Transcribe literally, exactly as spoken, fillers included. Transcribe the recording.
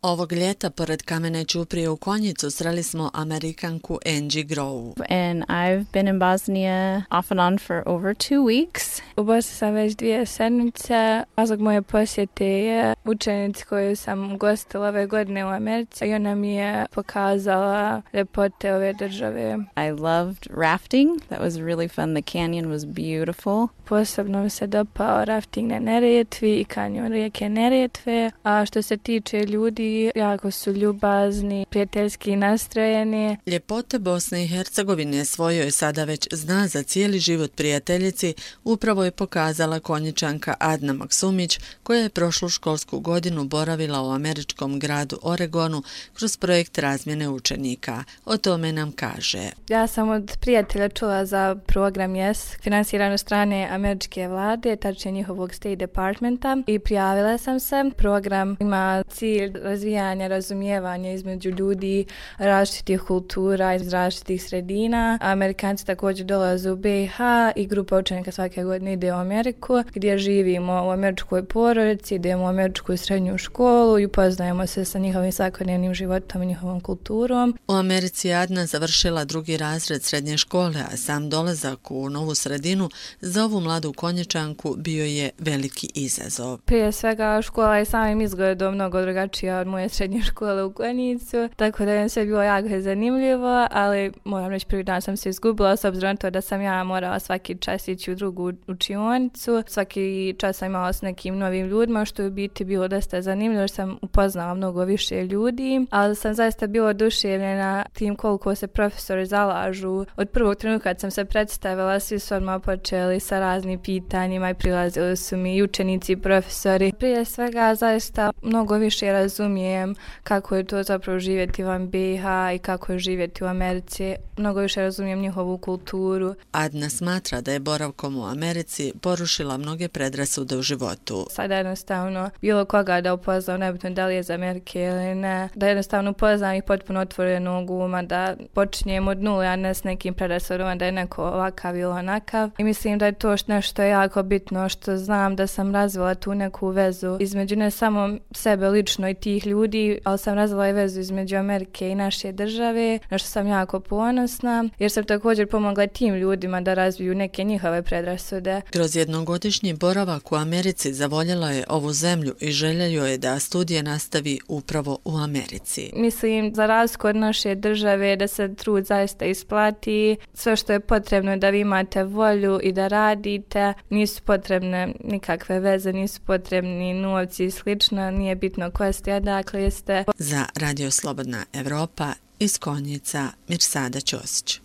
Ovog ljeta pored kamene ćuprije u Konjicu sreli smo Amerikanku Angie Grow. And I've been in Bosnia off and on for over two weeks. U Bosni sam već dvije sedmice. Razlog moje posjete je učenici koju sam gostila ove godine u Americi i ona mi je pokazala ljepote ove države. I loved rafting. That was really fun. The canyon was beautiful. Posebno mi se dopao rafting na Neretvi i kanjon rijeke Neretve. A što se tiče ljudi, jako su ljubazni, prijateljski nastrojeni. Ljepote Bosne i Hercegovine svojoj sada već zna za cijeli život prijateljici upravo je pokazala Konjičanka Adna Maksumić, koja je prošlu školsku godinu boravila u američkom gradu Oregonu kroz projekt razmjene učenika. O tome nam kaže. Ja sam od prijatelja čula za program Yes, finansiran od strane američke vlade, tačnije njihovog State Departmenta, i prijavila sam se. Program ima cilj razvijanja razumijevanja između ljudi različitih kultura iz različitih sredina. Amerikanci također dolaze u B i H i grupa učenika svake godine ide u Ameriku, gdje živimo u američkoj porodici, idemo u američku srednju školu i upoznajemo se sa njihovim svakodnevnim životom i njihovom kulturom. U Americi je Adna završila drugi razred srednje škole, a sam dolazak u novu sredinu za ovu mladu Konjičanku bio je veliki izazov. Prije svega škola je samim izgledom mnogo drugačija od moje srednje škole u Konjicu, tako da je sve bilo jako zanimljivo, ali moram reći prvi dan sam se izgubila s obzirom na to da sam ja morala svaki čas ići u drugu učionicu. Svaki čas sam imala s nekim novim ljudima, što je u biti bilo dosta zanimljivo, jer sam upoznala mnogo više ljudi, ali sam zaista bila oduševljena tim koliko se profesori zalažu. Od prvog trenutka kad sam se predstavila, svi su odmah počeli sa raznim pitanjima i prilazili su mi i učenici i profesori. Prije svega zaista mnogo više razumijem kako je to zapravo živjeti van B i H i kako je živjeti u Americi. Mnogo više razumijem njihovu kulturu. Adna smatra da je boravkom u Americi porušila mnoge predrasude u životu. Sada jednostavno bilo koga da upoznam, nebitno da li je iz Amerike ili ne, da jednostavno upoznam ih potpuno otvorenog uma, da počinjem od nule, a ne s nekim predrasudama da je neko ovakav ili onakav. I mislim da je to nešto jako bitno, što znam da sam razvila tu neku vezu između ne samo sebe lično i tih ljudi, ali sam razvila i vezu između Amerike i naše države, na što sam jako ponosna, jer sam također pomogla tim ljudima da razviju neke njihove predrasude. Kroz jednogodišnji boravak u Americi zavoljela je ovu zemlju i želja joj je da studije nastavi upravo u Americi. Mislim, za razliku od naše države, da se trud zaista isplati. Sve što je potrebno je da vi imate volju i da radite. Nisu potrebne nikakve veze, nisu potrebni novci i slično. Nije bitno ko ste, odakle jeste. Za Radio Slobodna Evropa iz Konjica, Mirsada Ćosić.